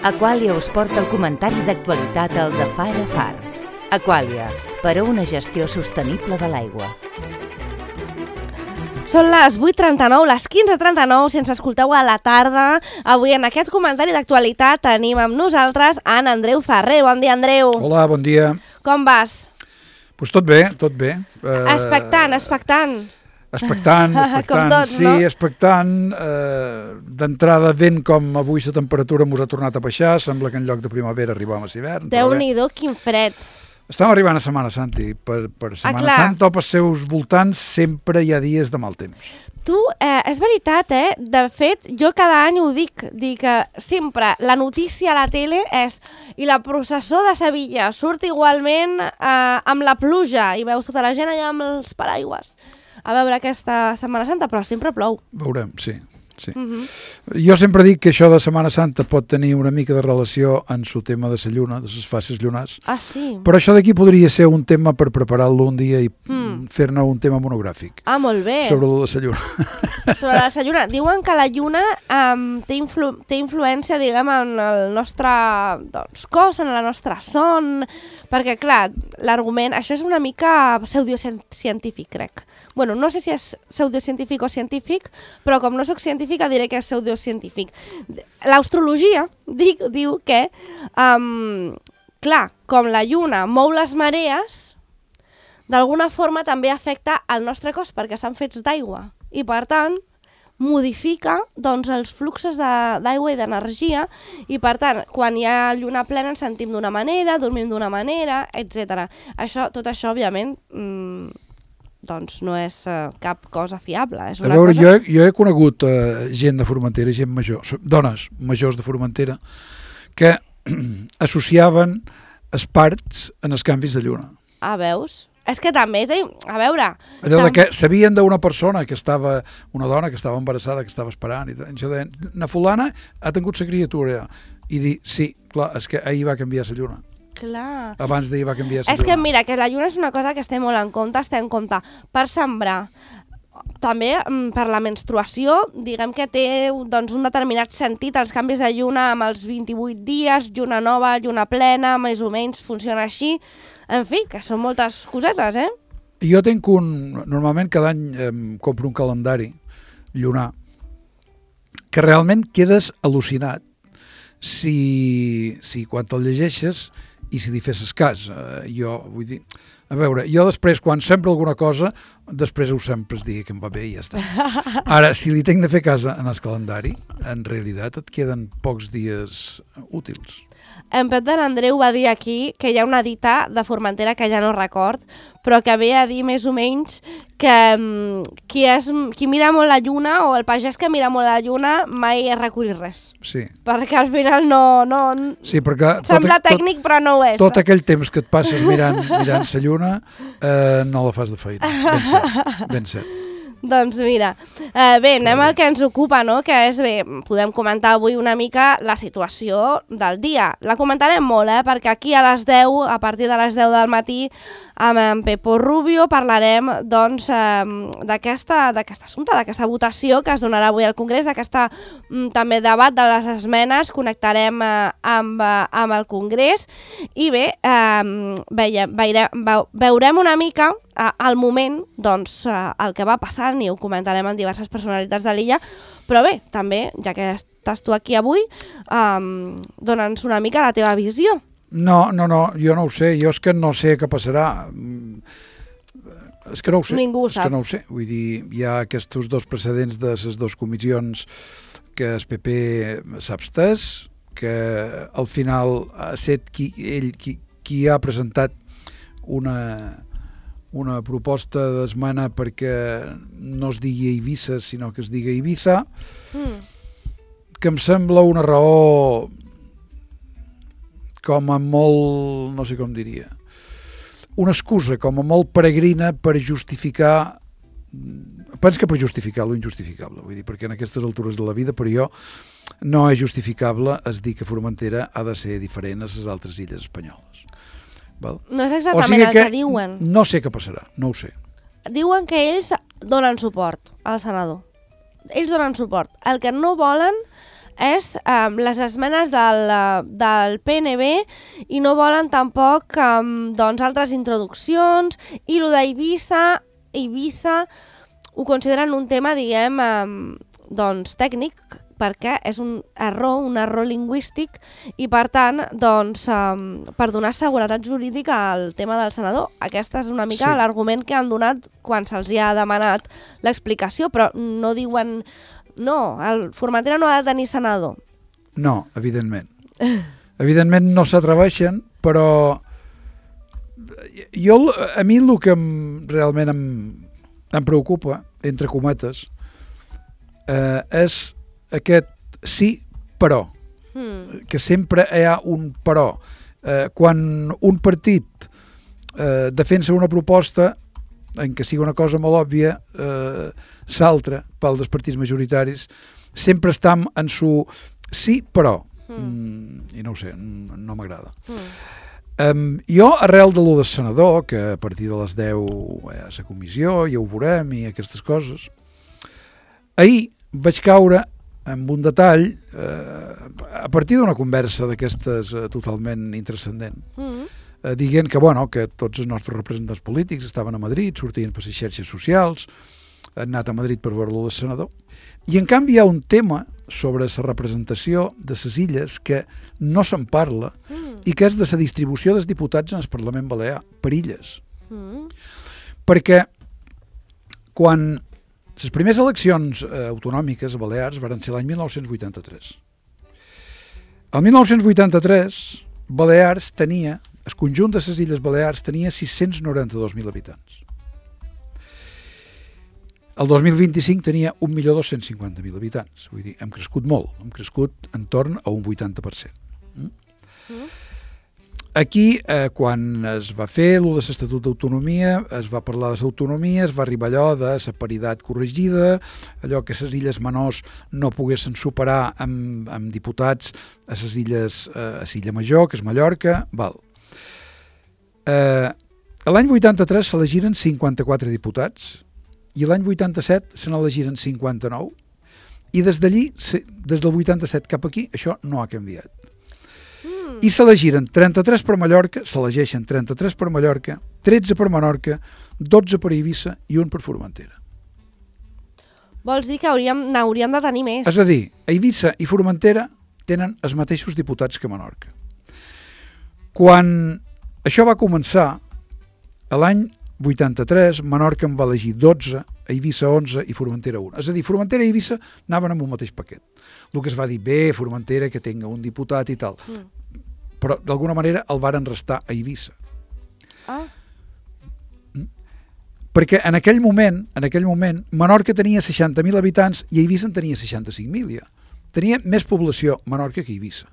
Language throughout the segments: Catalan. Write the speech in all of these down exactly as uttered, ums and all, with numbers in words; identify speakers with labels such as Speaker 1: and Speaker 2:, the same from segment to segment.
Speaker 1: Aquàlia us porta el comentari d'actualitat al de Far a Far. Aquàlia, per a una gestió sostenible de l'aigua.
Speaker 2: Són les vuit trenta-nou, les quinze trenta-nou, si ens escolteu a la tarda. Avui en aquest comentari d'actualitat tenim amb nosaltres en Andreu Ferrer. Bon dia, Andreu.
Speaker 3: Hola, bon dia.
Speaker 2: Com vas?
Speaker 3: Pues tot bé, tot bé.
Speaker 2: Uh, expectant, expectant.
Speaker 3: Expectant, expectant.
Speaker 2: Com tots,
Speaker 3: sí,
Speaker 2: no?
Speaker 3: expectant. Uh, D'entrada, vent com avui la temperatura mos ha tornat a baixar, sembla que en lloc de primavera arribàvem a hivern.
Speaker 2: Déu-n'hi-do, quin fred.
Speaker 3: Estem arribant a Setmana Santa i per, per Setmana
Speaker 2: ah,
Speaker 3: Santa o pels seus voltants sempre hi ha dies de mal temps.
Speaker 2: Tu, eh, és veritat, eh? De fet, jo cada any ho dic, dic que sempre la notícia a la tele és i la processó de Sevilla surt igualment eh, amb la pluja i veus tota la gent allà amb els paraigües a veure aquesta Setmana Santa, però sempre plou.
Speaker 3: Veurem, sí. Sí.
Speaker 2: Uh-huh.
Speaker 3: Jo sempre dic que això de Setmana Santa pot tenir una mica de relació en el tema de la lluna, de les fases lunars.
Speaker 2: Ah, sí?
Speaker 3: Però això d'aquí podria ser un tema per preparar-lo un dia i mm. fer-ne un tema monogràfic.
Speaker 2: Ah, molt bé.
Speaker 3: Sobre lo de la lluna.
Speaker 2: Sobre la lluna. Diuen que la lluna um, té, influ té influència, diguem, en el nostre doncs, cos, en la nostra son, perquè, clar, l'argument... Això és una mica pseudocientífic, crec. Bueno, no sé si és pseudocientífic o científic, però com no sóc científica diré que és pseudocientífic. L'astrologia dic, diu que, um, clar, com la lluna mou les marees, d'alguna forma també afecta el nostre cos perquè estan fets d'aigua i, per tant, modifica doncs, els fluxos d'aigua i d'energia i, per tant, quan hi ha lluna plena ens sentim d'una manera, dormim d'una manera, etcètera. Això, tot això, òbviament, mmm, doncs no és uh, cap cosa fiable. És una
Speaker 3: a veure,
Speaker 2: cosa...
Speaker 3: jo, he, jo he conegut uh, gent de Formentera, gent major, dones majors de Formentera, que associaven els parts en els canvis de lluna.
Speaker 2: Ah, veus? És que també, té... a veure...
Speaker 3: Allò
Speaker 2: tam...
Speaker 3: de que sabien d'una persona que estava, una dona que estava embarassada, que estava esperant, i això deien, na fulana ha tingut la criatura, i dir, sí, clar, és que ahir va canviar la lluna.
Speaker 2: Clar.
Speaker 3: Abans d'ahir va canviar la
Speaker 2: És que mira, que la lluna és una cosa que es té molt en compte, es té en compte per sembrar, també per la menstruació, diguem que té doncs, un determinat sentit, els canvis de lluna amb els vint-i-vuit dies, lluna nova, lluna plena, més o menys funciona així, en fi, que són moltes cosetes, eh?
Speaker 3: Jo tinc un, normalment cada any eh, compro un calendari llunar, que realment quedes al·lucinat si, si quan te'l llegeixes i si li fessis cas. Uh, jo, vull dir, a veure, jo després, quan sembro alguna cosa, després ho sempre es digui que em va bé i ja està. Ara, si li tinc de fer cas en el calendari, en realitat et queden pocs dies útils.
Speaker 2: En Pep de l'Andreu va dir aquí que hi ha una dita de Formentera que ja no record, però que ve a dir més o menys que um, qui, és, qui mira molt la lluna o el pagès que mira molt la lluna mai recull res.
Speaker 3: Sí.
Speaker 2: Perquè al final no... no
Speaker 3: sí, perquè
Speaker 2: sembla
Speaker 3: tot,
Speaker 2: tècnic, però no ho és.
Speaker 3: Tot aquell temps que et passes mirant, mirant la lluna eh, no la fas de feina. Ben cert, ben cert.
Speaker 2: Doncs mira, eh, bé, anem al que ens ocupa, no? Que és, bé, podem comentar avui una mica la situació del dia. La comentarem molt, eh? Perquè aquí a les deu, a partir de les deu del matí, amb en Pepo Rubio parlarem, doncs, eh, d'aquesta d'aquest assumpte, d'aquesta votació que es donarà avui al Congrés, d'aquesta mm, també debat de les esmenes, connectarem eh, amb, eh, amb el Congrés i bé, eh, veia, veire, veu, veurem una mica eh, al moment, doncs, eh, el que va passant i ho comentarem amb diverses personalitats de l'illa, però bé, també, ja que estàs tu aquí avui, eh, dona'ns una mica la teva visió.
Speaker 3: No, no, no, jo no ho sé, jo és que no sé què passarà, és que no ho sé.
Speaker 2: Ningú ho
Speaker 3: és
Speaker 2: sap.
Speaker 3: que no ho sé, vull dir, hi ha aquests dos precedents de les dues comissions que el P P s'ha abstès, que al final ha estat qui, ell qui, qui ha presentat una, una proposta d'esmena perquè no es digui Eivissa, sinó que es digui Ibiza, mm. que em sembla una raó com a molt, no sé com diria, una excusa com a molt peregrina per justificar, penso que per justificar lo injustificable, vull dir, perquè en aquestes altures de la vida, per jo, no és justificable es dir que Formentera ha de ser diferent a les altres illes espanyoles. Val?
Speaker 2: No és exactament o sigui el que, que diuen.
Speaker 3: No sé què passarà, no ho sé.
Speaker 2: Diuen que ells donen suport al senador. Ells donen suport. El que no volen és um, les esmenes del, del P N B i no volen tampoc um, doncs, altres introduccions, i el d'Eivissa Eivissa ho consideren un tema, diguem, um, doncs, tècnic, perquè és un error, un error lingüístic, i per tant, doncs, um, per donar seguretat jurídica al tema del senador. Aquest és una mica sí. l'argument que han donat quan se'ls ha demanat l'explicació, però no diuen, no, el Formentera no ha de tenir senador.
Speaker 3: No, evidentment. Evidentment no s'atreveixen, però jo, a mi el que em, realment em, em preocupa, entre cometes, eh, és aquest sí, però, mm. que sempre hi ha un però. Eh, quan un partit eh, defensa una proposta en què sigui una cosa molt òbvia, eh, s'altra pel dels partits majoritaris, sempre està en su sí, però. Mm. Mm, I no ho sé, no m'agrada. Mm. Um, jo, arrel de l'u del senador, que a partir de les deu hi ha la comissió, ja ho veurem, i aquestes coses, ahir vaig caure amb un detall, eh, a partir d'una conversa d'aquestes eh, totalment intranscendent, mm-hmm. eh, dient que, bueno, que tots els nostres representants polítics estaven a Madrid, sortien per les xarxes socials, han anat a Madrid per veure-lo del senador, i en canvi hi ha un tema sobre la representació de les illes que no se'n parla mm. i que és de la distribució dels diputats en el Parlament Balear, per illes. Mm. Perquè quan les primeres eleccions eh, autonòmiques a Balears van ser l'any mil nou-cents vuitanta-tres. El mil nou-cents vuitanta-tres, Balears tenia, el conjunt de les Illes Balears tenia sis-cents noranta-dos mil habitants. El dos mil vint-i-cinc tenia un milió dos-cents cinquanta mil habitants. Vull dir, hem crescut molt, hem crescut en torn a un vuitanta per cent. Mm? Mm. Aquí, eh, quan es va fer l'u de l'Estatut d'Autonomia, es va parlar de l'autonomia, es va arribar allò de la paritat corregida, allò que les illes menors no poguessin superar amb, amb diputats a les illes, eh, a l'illa major, que és Mallorca, val. Eh, l'any vuitanta-tres s'elegiren cinquanta-quatre diputats i l'any vuitanta-set se n'elegiren cinquanta-nou i des d'allí, des del vuitanta-set cap aquí, això no ha canviat. I s'elegiren trenta-tres per Mallorca, s'elegeixen trenta-tres per Mallorca, tretze per Menorca, dotze per Eivissa i un per Formentera.
Speaker 2: Vols dir que hauríem, n'hauríem de tenir més?
Speaker 3: És a dir, Eivissa i Formentera tenen els mateixos diputats que Menorca. Quan això va començar, a l'any vuitanta-tres, Menorca en va elegir dotze, Eivissa onze i Formentera un. És a dir, Formentera i Eivissa anaven amb un mateix paquet. El que es va dir, bé, Formentera, que tinga un diputat i tal. Mm. Però d'alguna manera el varen restar a Eivissa. Ah. Mm? Perquè en aquell moment, en aquell moment, Menorca tenia seixanta mil habitants i Eivissa en tenia seixanta-cinc mil ja. Tenia més població Menorca que Eivissa.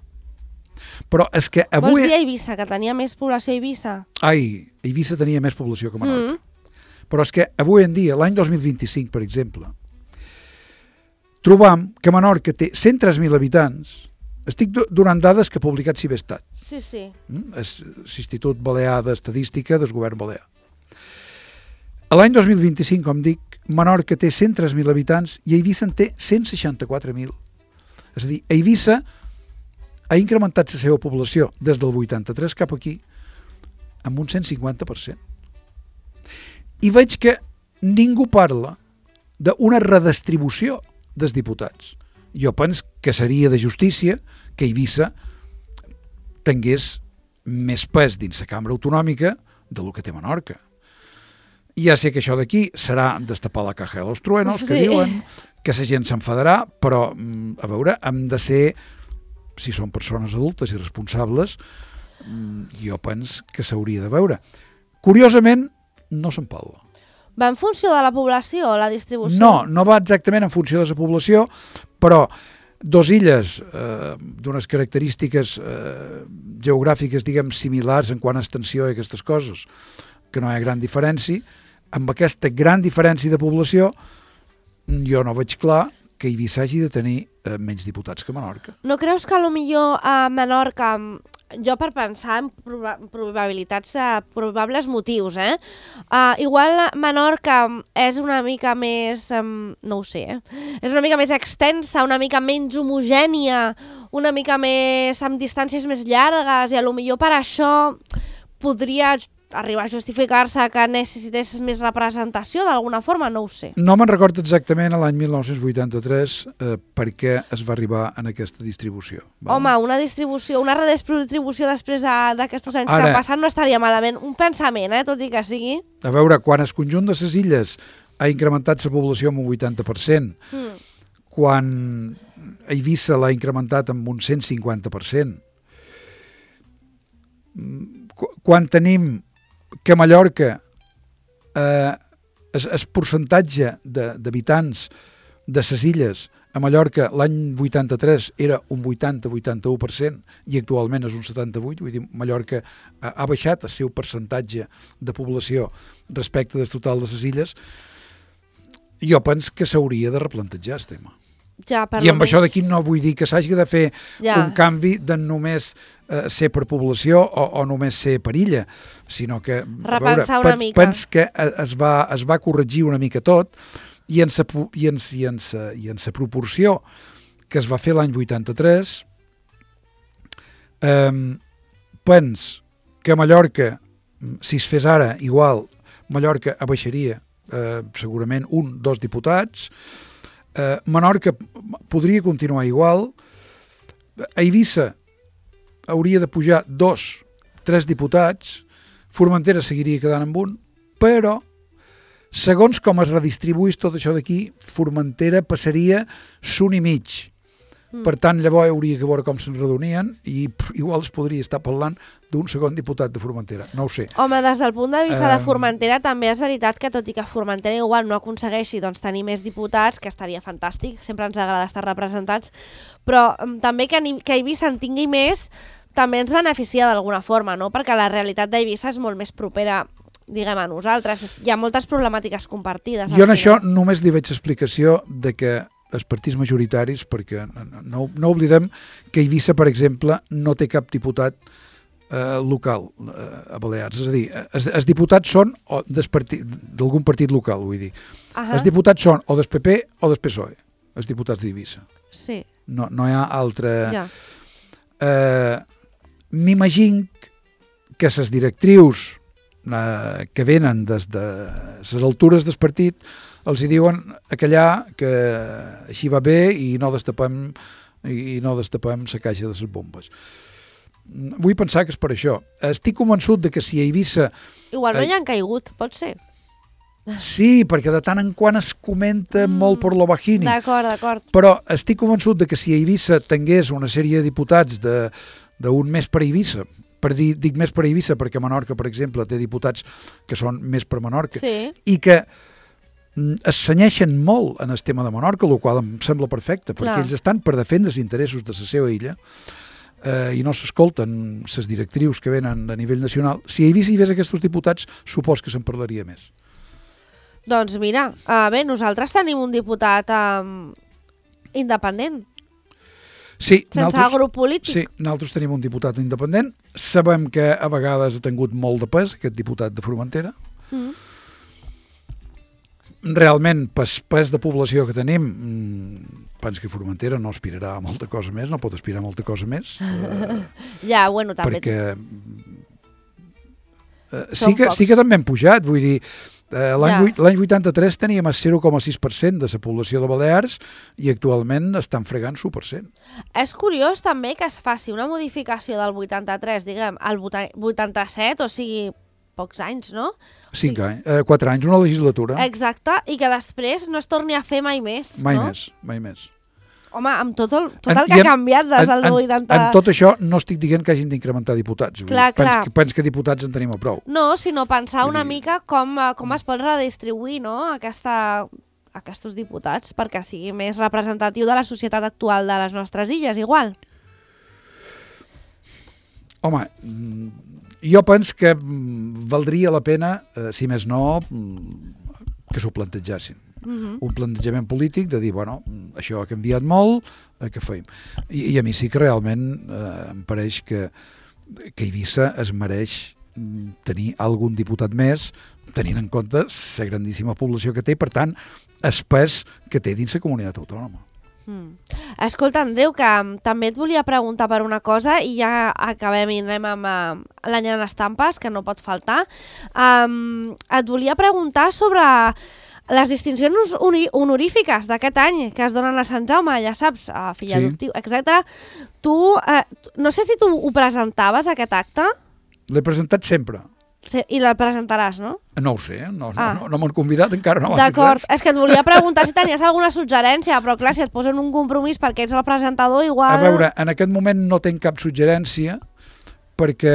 Speaker 3: Però és que avui...
Speaker 2: Vols dir a Eivissa, que tenia més població a Eivissa?
Speaker 3: Ai, Eivissa tenia més població que Menorca. Mm. Però és que avui en dia, l'any dos mil vint-i-cinc, per exemple, trobam que Menorca té cent tres mil habitants. Estic donant dades que ha publicat Cibestat.
Speaker 2: Sí, sí.
Speaker 3: Mm? És l'Institut Balear d'Estadística del Govern Balear. A l'any dos mil vint-i-cinc, com dic, Menorca té cent tres mil habitants i Eivissa en té cent seixanta-quatre mil. És a dir, Eivissa ha incrementat la seva població des del vuitanta-tres cap aquí amb un cent cinquanta per cent. I veig que ningú parla d'una redistribució dels diputats. Jo penso que seria de justícia que Eivissa tingués més pes dins la cambra autonòmica de lo que té Menorca. I ja sé que això d'aquí serà destapar la caja de los truenos, que sí. Diuen que la gent s'enfadarà, però, a veure, hem de ser, si són persones adultes i responsables, jo penso que s'hauria de veure. Curiosament, no se'n parla.
Speaker 2: Va en funció de la població, la distribució?
Speaker 3: No, no va exactament en funció de la població, però dos illes eh, d'unes característiques eh, geogràfiques, diguem, similars en quant a extensió i aquestes coses, que no hi ha gran diferència, amb aquesta gran diferència de població, jo no veig clar que Eivissa hagi de tenir eh, menys diputats que Menorca.
Speaker 2: No creus que potser a Menorca jo per pensar en proba probabilitats de probables motius, eh? Uh, igual Menorca és una mica més, um, no ho sé, eh? És una mica més extensa, una mica menys homogènia, una mica més amb distàncies més llargues, i a lo millor per això podria arribar a justificar-se que necessités més representació d'alguna forma, no ho sé.
Speaker 3: No me'n recordo exactament a l'any mil nou-cents vuitanta-tres eh, per què es va arribar en aquesta distribució. Val?
Speaker 2: Home, una distribució, una redistribució després d'aquests anys Ara, que han passat no estaria malament. Un pensament, eh, tot i que sigui.
Speaker 3: A veure, quan el conjunt de les illes ha incrementat la població amb un vuitanta per cent, mm. quan Eivissa l'ha incrementat amb un cent cinquanta per cent, quan tenim que a Mallorca eh, el, el percentatge d'habitants de les illes a Mallorca l'any vuitanta-tres era un vuitanta a vuitanta-u per cent i actualment és un setanta-vuit, vull dir, Mallorca ha, ha baixat el seu percentatge de població respecte del total de les illes. Jo penso que s'hauria de replantejar el tema.
Speaker 2: Ja,
Speaker 3: I amb això d'aquí no vull dir que s'hagi de fer ja. un canvi de només eh, ser per població o, o només ser per illa, sinó que
Speaker 2: repensar
Speaker 3: veure,
Speaker 2: una mica.
Speaker 3: Pens que es va, es va corregir una mica tot i en sa, i en, i en, sa, i en sa proporció que es va fer l'any vuitanta-tres, eh, pens que a Mallorca, si es fes ara igual, Mallorca abaixaria eh, segurament un, dos diputats. Uh, Menorca podria continuar igual, a Eivissa hauria de pujar dos, tres diputats, Formentera seguiria quedant amb un, però segons com es redistribuís tot això d'aquí, Formentera passaria son i mig. Mm. Per tant, llavors hauria que veure com se'n redonien i pff, igual es podria estar parlant d'un segon diputat de Formentera, no ho sé.
Speaker 2: Home, des del punt de vista um... de Formentera també és veritat que tot i que Formentera igual no aconsegueixi doncs, tenir més diputats, que estaria fantàstic, sempre ens agrada estar representats, però um, també que, que Eivissa en tingui més també ens beneficia d'alguna forma, no? Perquè la realitat d'Eivissa és molt més propera, diguem, a nosaltres. Hi ha moltes problemàtiques compartides.
Speaker 3: Jo en això només li veig explicació de que els partits majoritaris, perquè no, no oblidem que Eivissa, per exemple, no té cap diputat eh, local eh, a Balears. És a dir, els, els diputats són d'algun partit local, vull dir. Uh -huh. Els diputats són o del P P o del P S O E, els diputats d'Eivissa.
Speaker 2: Sí.
Speaker 3: No, no hi ha altra...
Speaker 2: Ja.
Speaker 3: Eh, M'imagino que les directrius eh, que venen des de les altures del partit els hi diuen aquellà que així va bé i no destapem i no destapem la caixa de les bombes. Vull pensar que és per això. Estic convençut de que si a Eivissa...
Speaker 2: Igual no hi han caigut, pot ser.
Speaker 3: Sí, perquè de tant en quant es comenta mm, molt per lo bajini.
Speaker 2: D'acord, d'acord.
Speaker 3: Però estic convençut de que si a Eivissa tingués una sèrie de diputats de d'un més per Eivissa, per dir, dic més per Eivissa perquè Menorca, per exemple, té diputats que són més per Menorca,
Speaker 2: sí.
Speaker 3: i que es senyeixen molt en el tema de Menorca, el qual em sembla perfecte, perquè Clar. ells estan per defendre els interessos de la seva illa eh, i no s'escolten les directrius que venen a nivell nacional. Si a Eivissa hi hagués aquests diputats, supos que se'n parlaria més.
Speaker 2: Doncs mira, uh, bé, nosaltres tenim un diputat um, independent.
Speaker 3: Sí,
Speaker 2: sense grup polític.
Speaker 3: Sí, nosaltres tenim un diputat independent. Sabem que a vegades ha tingut molt de pes, aquest diputat de Formentera. Mm. Realment, pes, pes de població que tenim, penso que Formentera no aspirarà a molta cosa més, no pot aspirar a molta cosa més. eh,
Speaker 2: ja, bueno, també.
Speaker 3: Perquè eh, sí, que, sí que també hem pujat, vull dir, Eh, l'any ja. vuitanta-tres teníem el zero coma sis per cent de la població de Balears i actualment estan fregant l'u per cent.
Speaker 2: És curiós també que es faci una modificació del vuitanta-tres, diguem, al vuitanta-set, o sigui, pocs anys, no?
Speaker 3: Cinc anys, eh, quatre anys, una legislatura.
Speaker 2: Exacte, i que després no es torni a fer mai més,
Speaker 3: mai
Speaker 2: no?
Speaker 3: Mai més, mai més.
Speaker 2: Home, amb tot el, tot el en, que ha canviat des del
Speaker 3: en,
Speaker 2: vuitanta...
Speaker 3: En tot això no estic dient que hagin d'incrementar diputats.
Speaker 2: Clar,
Speaker 3: pens,
Speaker 2: clar.
Speaker 3: Que, pens que diputats en tenim a prou.
Speaker 2: No, sinó pensar una mica com, com es pot redistribuir, no? Aquesta, aquests diputats perquè sigui més representatiu de la societat actual de les nostres illes, igual.
Speaker 3: Home, jo penso que valdria la pena, eh, si més no, que s'ho plantegessin. Uh-huh. Un plantejament polític de dir, bueno, això ha canviat molt, eh, què feim? I, I a mi sí que realment eh, em pareix que que Eivissa es mereix tenir algun diputat més, tenint en compte la grandíssima població que té, per tant, el pes que té dins la comunitat autònoma.
Speaker 2: Mm. Escolta, Andreu, que també et volia preguntar per una cosa i ja acabem i anem amb uh, l'any en estampes, que no pot faltar. Um, et volia preguntar sobre les distincions honorífiques d'aquest any que es donen a Sant Jaume, ja saps, a fill
Speaker 3: sí.
Speaker 2: adoptiu, etcètera. Tu, uh, no sé si tu ho presentaves, aquest acte?
Speaker 3: L'he presentat sempre.
Speaker 2: Sí, i la presentaràs, no?
Speaker 3: No ho sé, no,
Speaker 2: ah.
Speaker 3: no, no m'han convidat, encara no m'han dit res.
Speaker 2: D'acord, és que et volia preguntar si tenies alguna suggerència, però clar, si et posen un compromís perquè ets el presentador, igual...
Speaker 3: A veure, en aquest moment no tenc cap suggerència perquè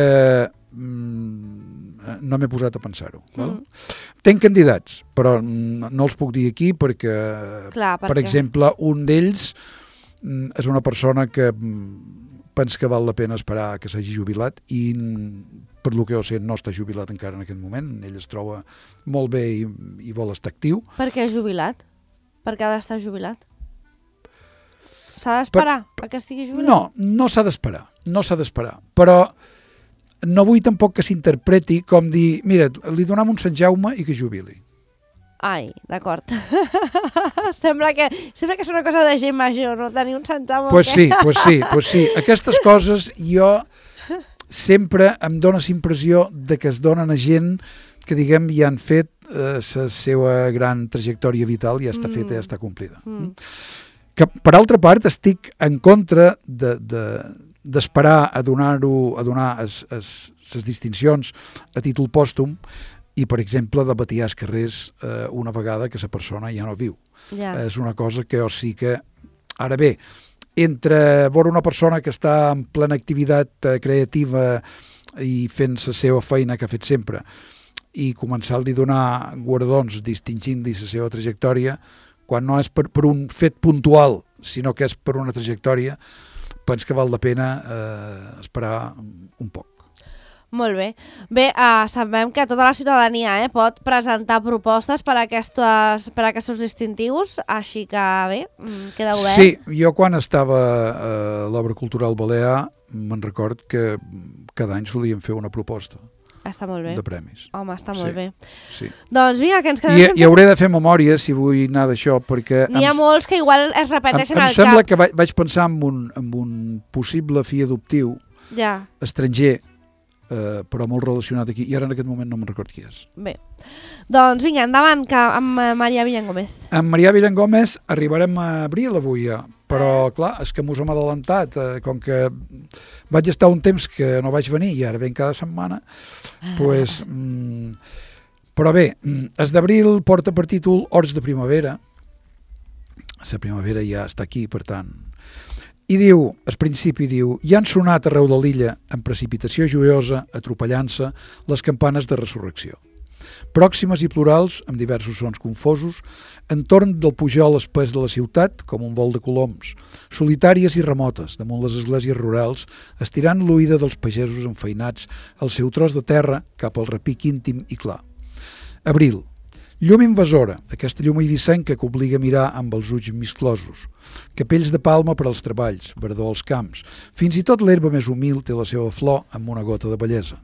Speaker 3: mm, no m'he posat a pensar-ho. Mm. Tenc candidats, però no els puc dir aquí perquè,
Speaker 2: clar,
Speaker 3: per exemple, un d'ells mm, és una persona que mm, penso que val la pena esperar que s'hagi jubilat i per lo que jo sé no està jubilat encara en aquest moment, ell es troba molt bé i, i vol estar actiu.
Speaker 2: Per què és jubilat? Per què ha d'estar jubilat? S'ha d'esperar per... que estigui jubilat?
Speaker 3: No, no s'ha d'esperar, no s'ha d'esperar, però no vull tampoc que s'interpreti com dir, mira, li donem un Sant Jaume i que jubili.
Speaker 2: Ai, d'acord. sembla, que, sembla que és una cosa de gent major, no? Tenir un Sant Jaume...
Speaker 3: Pues sí, pues sí, pues sí. Aquestes coses jo sempre em dóna la impressió de que es donen a gent que, diguem, ja han fet la eh, seva gran trajectòria vital i ja està feta, mm. ja està complida. Mm. Que, per altra part, estic en contra de, de, d'esperar a donar-ho, a donar les distincions a títol pòstum i, per exemple, de batir als carrers eh, una vegada que la persona ja no viu.
Speaker 2: Ja.
Speaker 3: És una cosa que jo sí que... Ara bé, entre veure una persona que està en plena activitat eh, creativa i fent la seva feina que ha fet sempre i començar a donar guardons distingint-li la seva trajectòria, quan no és per, per un fet puntual, sinó que és per una trajectòria, penso que val la pena eh, esperar un poc.
Speaker 2: Molt bé. Bé, uh, sabem que tota la ciutadania eh, pot presentar propostes per a, aquestes, per a aquests distintius, així que bé, queda obert.
Speaker 3: Sí, jo quan estava a l'Obra Cultural Balear me'n record que cada any solíem fer una proposta.
Speaker 2: Està molt bé.
Speaker 3: De premis.
Speaker 2: Home, està
Speaker 3: sí,
Speaker 2: molt bé.
Speaker 3: Sí.
Speaker 2: Doncs vinga, que ens quedem...
Speaker 3: I,
Speaker 2: sense...
Speaker 3: I hauré de fer memòria si vull anar d'això, perquè...
Speaker 2: N'hi ha
Speaker 3: em,
Speaker 2: molts que igual es repeteixen
Speaker 3: em,
Speaker 2: al
Speaker 3: em sembla
Speaker 2: cap.
Speaker 3: que vaig, vaig pensar en un, en un possible fill adoptiu
Speaker 2: ja.
Speaker 3: estranger, eh, però molt relacionat aquí, i ara en aquest moment no me'n record qui és.
Speaker 2: Bé, doncs vinga, endavant, que amb Maria Villangómez.
Speaker 3: Amb Maria Villangómez arribarem a abril avui ja, però clar, és que mos hem adelantat, eh, com que vaig estar un temps que no vaig venir i ara ven cada setmana, pues, mm, però bé, es d'abril porta per títol Horts de primavera, la primavera ja està aquí, per tant, i diu, al principi diu, hi han sonat arreu de l'illa, amb precipitació joiosa, atropellant-se, les campanes de resurrecció. Pròximes i plurals, amb diversos sons confosos, entorn del pujol espès de la ciutat, com un vol de coloms, solitàries i remotes, damunt les esglésies rurals, estirant l'oïda dels pagesos enfeinats al seu tros de terra cap al repic íntim i clar. Abril. Llum invasora, aquesta llum eivissenca que obliga a mirar amb els ulls misclosos. Capells de palma per als treballs, verdor als camps. Fins i tot l'herba més humil té la seva flor amb una gota de bellesa.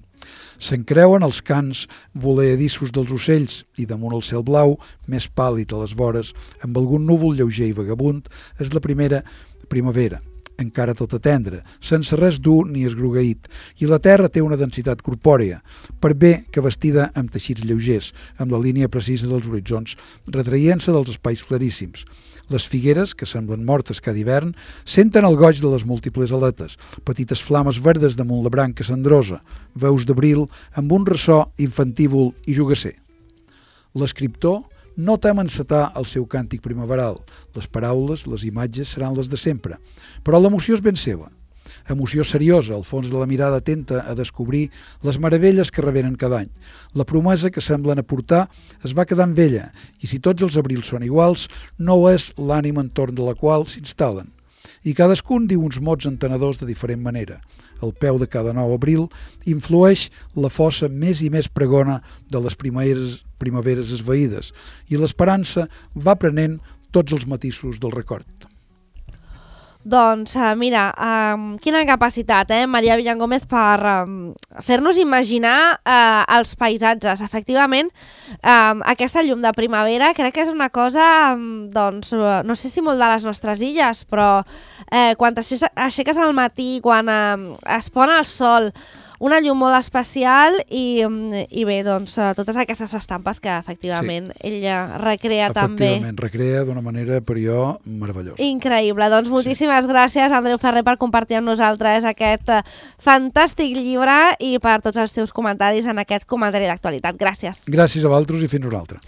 Speaker 3: S'encreuen els cants voleadissos dels ocells i damunt el cel blau, més pàl·lid a les vores, amb algun núvol lleuger i vagabund, és la primera primavera, encara tota tendra, sense res dur ni esgrogueït, i la terra té una densitat corpòrea, per bé que vestida amb teixits lleugers, amb la línia precisa dels horitzons, retraient-se dels espais claríssims. Les figueres, que semblen mortes cada hivern, senten el goig de les múltiples aletes, petites flames verdes damunt la branca cendrosa, veus d'abril amb un ressò infantívol i jugasser. L'escriptor no tem encetar el seu càntic primaveral. Les paraules, les imatges seran les de sempre, però l'emoció és ben seva. Emoció seriosa, al fons de la mirada atenta a descobrir les meravelles que revenen cada any. La promesa que semblen aportar es va quedant vella, i si tots els abrils són iguals, no és l'ànima entorn de la qual s'instal·len. I cadascun diu uns mots entenedors de diferent manera. Al peu de cada nou abril influeix la fossa més i més pregona de les primeres primaveres esvaïdes, i l'esperança va prenent tots els matisos del record.
Speaker 2: Doncs uh, mira, um, quina capacitat, eh, Maria Villangómez, per um, fer-nos imaginar uh, els paisatges. Efectivament, um, aquesta llum de primavera crec que és una cosa, um, doncs, uh, no sé si molt de les nostres illes, però eh, quan t'aixeques al matí, quan uh, es pon el sol, una llum molt especial i, i bé, doncs, totes aquestes estampes que efectivament sí. ella recrea també.
Speaker 3: Efectivament, recrea d'una manera per jo meravellosa.
Speaker 2: Increïble. Doncs moltíssimes sí. gràcies, Andreu Ferrer, per compartir amb nosaltres aquest fantàstic llibre i per tots els teus comentaris en aquest comentari d'actualitat. Gràcies.
Speaker 3: Gràcies a vosaltres i fins una altra.